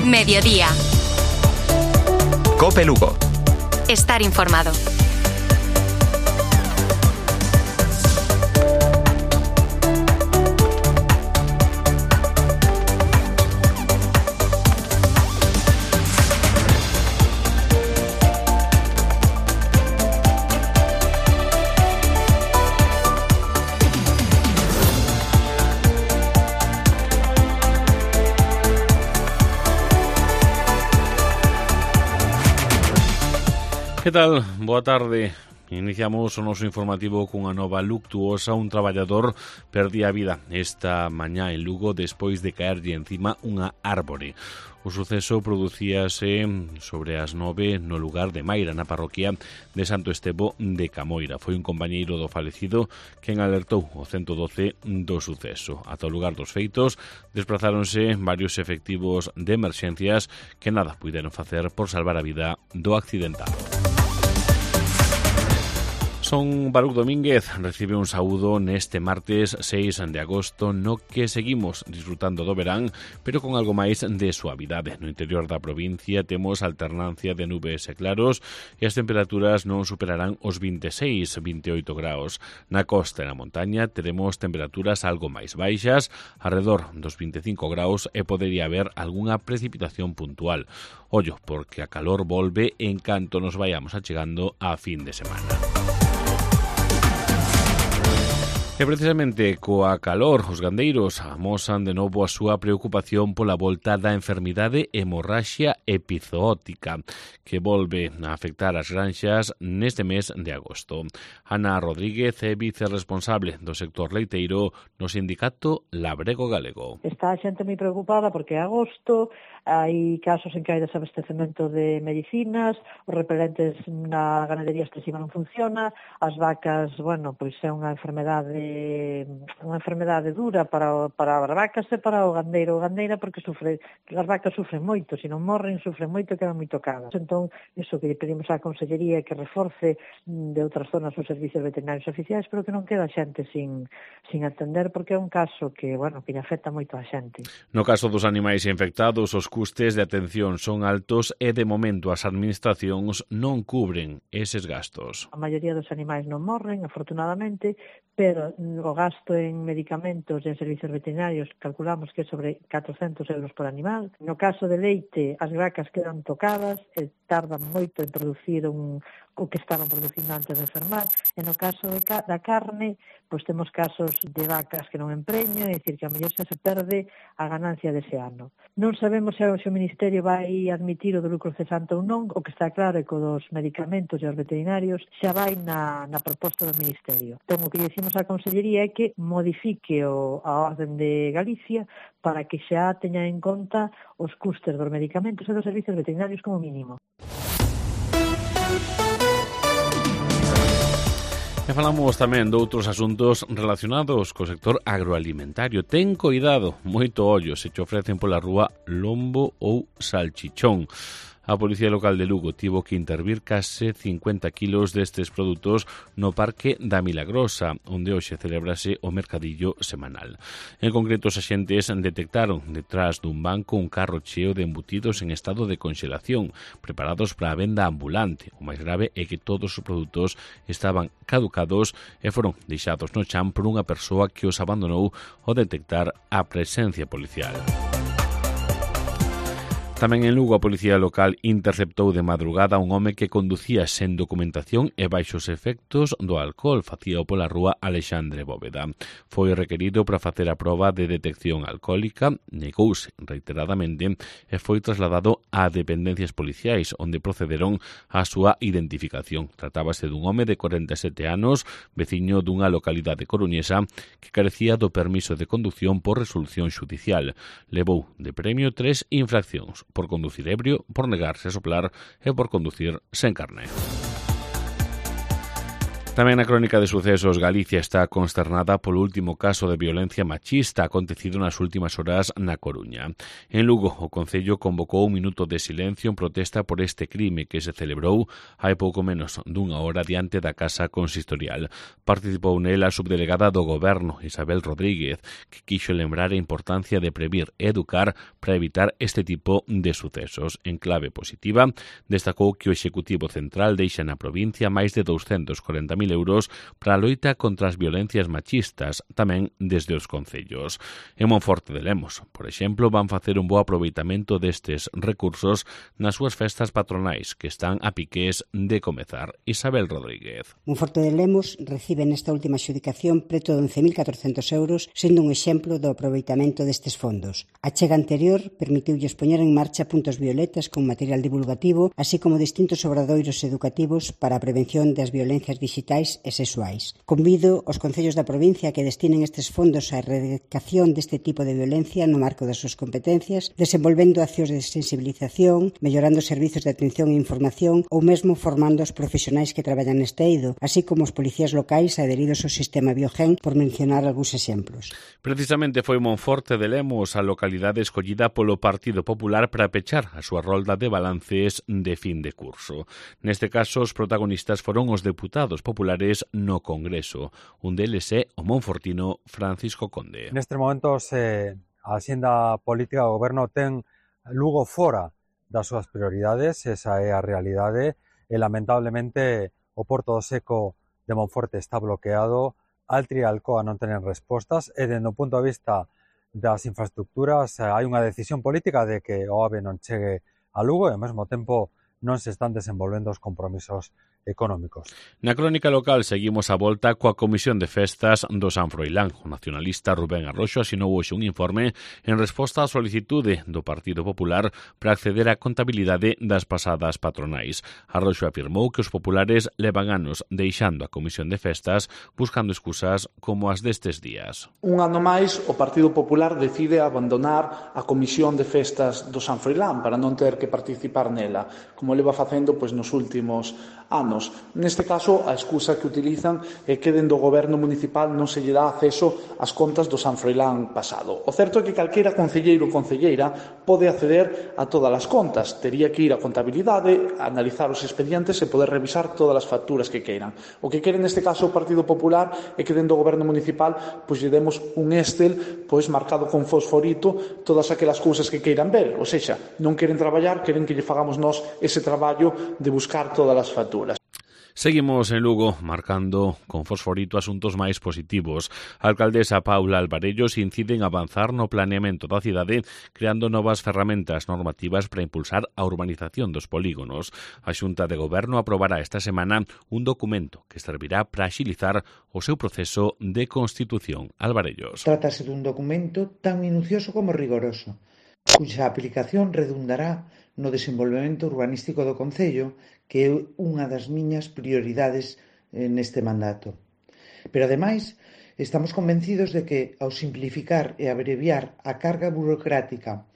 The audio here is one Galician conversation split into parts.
Mediodía. COPE Lugo. Estar informado. Que tal? Boa tarde. Iniciamos o noso informativo cunha nova luctuosa. Un traballador perdía a vida esta mañá en Lugo despois de caerlle encima unha árbore. O suceso producíase sobre as 9 no lugar de Maira, na parroquia de Santo Estevo de Camoira. Foi un compañeiro do falecido quen alertou o 112 do suceso. Ata o lugar dos feitos desplazáronse varios efectivos de emerxencias que nada puideron facer por salvar a vida do accidentado. Son Baruch Domínguez recibe un saúdo neste martes 6 de agosto no que seguimos disfrutando do verán, pero con algo máis de suavidade. No interior da provincia temos alternancia de nubes e claros e as temperaturas non superarán os 26-28 graus. Na costa e na montaña teremos temperaturas algo máis baixas, arredor dos 25 graus e podería haber algunha precipitación puntual. Ollo, porque a calor volve en canto nos vayamos achegando a fin de semana. E precisamente coa calor, os gandeiros amosan de novo a súa preocupación pola volta da enfermidade hemorraxia epizootica que volve a afectar as granxas neste mes de agosto. Ana Rodríguez é vicerresponsable do sector leiteiro no sindicato Labrego Galego. Está a xente moi preocupada porque é agosto, hai casos en que hai desabastecemento de medicinas, os repelentes na ganadería extensiva non funciona, as vacas, pois é unha enfermedade dura para as vacas e para o gandeiro ou gandeira porque as vacas sufren moito, se non morren sufren moito e quedan moi tocadas. Entón, iso que lle pedimos á Consellería é que reforce de outras zonas os servicios veterinarios oficiais, pero que non queda xente sin atender porque é un caso que lle afecta moito a xente. No caso dos animais infectados, os custes de atención son altos e de momento as administracións non cubren eses gastos. A maioría dos animais non morren, afortunadamente, pero o gasto en medicamentos e en servicios veterinarios calculamos que é sobre 400 euros por animal. No caso de leite, as vacas quedan tocadas e tardan moito en producir o que estaban producindo antes de enfermar. E no caso da carne, pois temos casos de vacas que non empreñan, é dicir, que a mellor xa se perde a ganancia dese ano. Non sabemos se o Ministerio vai admitir o do lucro cesante ou non, o que está claro é que dos medicamentos e os veterinarios xa vai na proposta do Ministerio. Entón, o que dicimos á Consellería é que modifique a orden de Galicia para que xa teña en conta os custes dos medicamentos e dos servicios veterinarios como mínimo. E falamos tamén de outros asuntos relacionados co sector agroalimentario. Ten coidado, moito ollo, se te ofrecen pola rúa lombo ou salchichón. A Policía Local de Lugo tivo que intervir case 50 kilos destes produtos no Parque da Milagrosa, onde hoxe celebrase o mercadillo semanal. En concreto, os axentes detectaron detrás dun banco un carro cheo de embutidos en estado de congelación, preparados para a venda ambulante. O máis grave é que todos os produtos estaban caducados e foron deixados no chan por unha persoa que os abandonou ao detectar a presencia policial. Tamén en Lugo a Policía Local interceptou de madrugada un home que conducía sen documentación e baixos efectos do alcohol. Facíao pola rúa Alexandre Bóveda. Foi requerido para facer a proba de detección alcohólica, negouse reiteradamente e foi trasladado a dependencias policiais, onde procederon á súa identificación. Tratábase dun home de 47 anos, veciño dunha localidade coruñesa, que carecía do permiso de conducción por resolución xudicial. Levou de premio 3 infraccións: por conducir ebrio, por negarse a soplar e por conducir sen carné. Tamén na crónica de sucesos, Galicia está consternada polo último caso de violencia machista acontecido nas últimas horas na Coruña. En Lugo, o Concello convocou un minuto de silencio en protesta por este crime que se celebrou hai pouco menos dunha hora diante da Casa Consistorial. Participou nela a subdelegada do Goberno, Isabel Rodríguez, que quixo lembrar a importancia de previr e educar para evitar este tipo de sucesos. En clave positiva, destacou que o Executivo Central deixa na provincia máis de 240.000 euros para a loita contra as violencias machistas, tamén desde os concellos. En Monforte de Lemos, por exemplo, van facer un bo aproveitamento destes recursos nas súas festas patronais que están a piques de comezar. Isabel Rodríguez. Monforte de Lemos recibe nesta última adxudicación preto de 11.400 euros, sendo un exemplo do aproveitamento destes fondos. A chega anterior permitiulles poñer en marcha puntos violetas con material divulgativo, así como distintos obradoiros educativos para a prevención das violencias digitais e sexuais. Convido os concellos da provincia a que destinen estes fondos á erradicación deste tipo de violencia no marco das súas competencias, desenvolvendo accións de sensibilización, mellorando os servizos de atención e información ou mesmo formando os profesionais que traballan neste eido, así como os policías locais adheridos ao sistema Biogen, por mencionar algúns exemplos. Precisamente foi Monforte de Lemos a localidade escollida polo Partido Popular para pechar a súa rolda de balances de fin de curso. Neste caso, os protagonistas foron os deputados populares no Congreso. Un deles é o monfortino Francisco Conde. Nestes momentos, a axenda política do Goberno ten Lugo fora das súas prioridades, esa é a realidade, e lamentablemente o Porto do Seco de Monforte está bloqueado, Altri e Alcoa non tenen respostas, e dende o punto de vista das infraestructuras hai unha decisión política de que o AVE non chegue a Lugo e ao mesmo tempo non se están desenvolvendo os compromisos económicos. Na crónica local seguimos a volta coa Comisión de Festas do San Froilán. O nacionalista Rubén Arroxo asinou hoxe un informe en resposta á solicitude do Partido Popular para acceder á contabilidade das pasadas patronais. Arroxo afirmou que os populares levan anos deixando a Comisión de Festas buscando excusas como as destes días. Un ano máis, o Partido Popular decide abandonar a Comisión de Festas do San Froilán para non ter que participar nela, como leva facendo nos últimos anos. Neste caso, a excusa que utilizan é que dentro do Goberno municipal non se lle dá acceso ás contas do San Froilán pasado. O certo é que calquera concelleiro ou concelleira pode acceder a todas as contas. Tería que ir á contabilidade, analizar os expedientes e poder revisar todas as facturas que queiran. O que quere neste caso o Partido Popular é que dentro do Goberno municipal lle demos un Excel marcado con fosforito todas aquelas cousas que queiran ver. Ou seja, non queren traballar, queren que lle fagamos nós ese traballo de buscar todas as facturas. Seguimos en Lugo marcando con fosforito asuntos máis positivos. A alcaldesa Paula Alvarellos incide en avanzar no planeamento da cidade creando novas ferramentas normativas para impulsar a urbanización dos polígonos. A Xunta de Goberno aprobará esta semana un documento que servirá para axilizar o seu proceso de constitución. Alvarellos. Trátase dun documento tan minucioso como rigoroso, cuxa aplicación redundará no desenvolvemento urbanístico do Concello, que é unha das miñas prioridades neste mandato. Pero, ademais, estamos convencidos de que, ao simplificar e abreviar a carga burocrática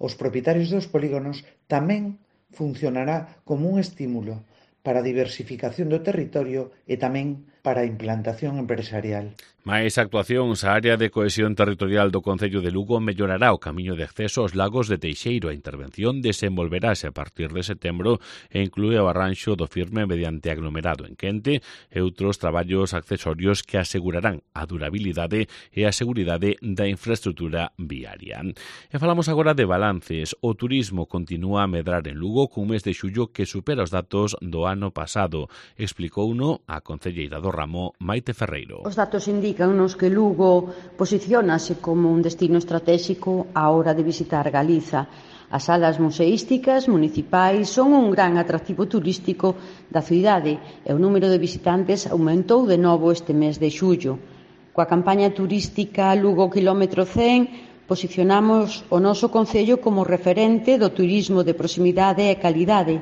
aos propietarios dos polígonos, tamén funcionará como un estímulo para a diversificación do territorio e tamén para a implantación empresarial. Máis actuacións, a área de cohesión territorial do Concello de Lugo mellorará o camiño de acceso aos lagos de Teixeiro. A intervención desenvolverase a partir de setembro e inclúe o arranxo do firme mediante aglomerado en quente e outros traballos accesorios que asegurarán a durabilidade e a seguridade da infraestrutura viaria. E falamos agora de balances. O turismo continúa a medrar en Lugo cun mes de xullo que supera os datos do ano pasado. Explicouno a concelleira do ramo, Maite Ferreiro. Os datos indícannos que Lugo posiciónase como un destino estratégico á hora de visitar Galiza. As salas museísticas municipais son un gran atractivo turístico da cidade e o número de visitantes aumentou de novo este mes de xullo. Coa campaña turística Lugo Kilómetro 100 posicionamos o noso concello como referente do turismo de proximidade e calidade,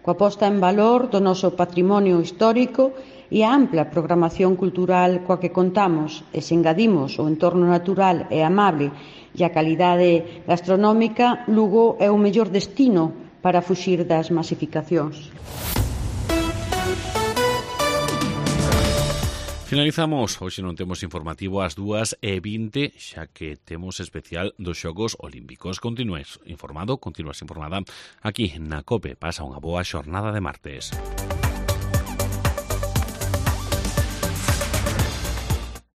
coa posta en valor do noso patrimonio histórico e a ampla programación cultural coa que contamos, e se engadimos o entorno natural e amable e a calidade gastronómica, Lugo é o mellor destino para fuxir das masificacións. Finalizamos, hoxe non temos informativo ás 2:20, xa que temos especial dos Xogos Olímpicos. Continuas informada aquí na COPE. Pasa unha boa xornada de martes.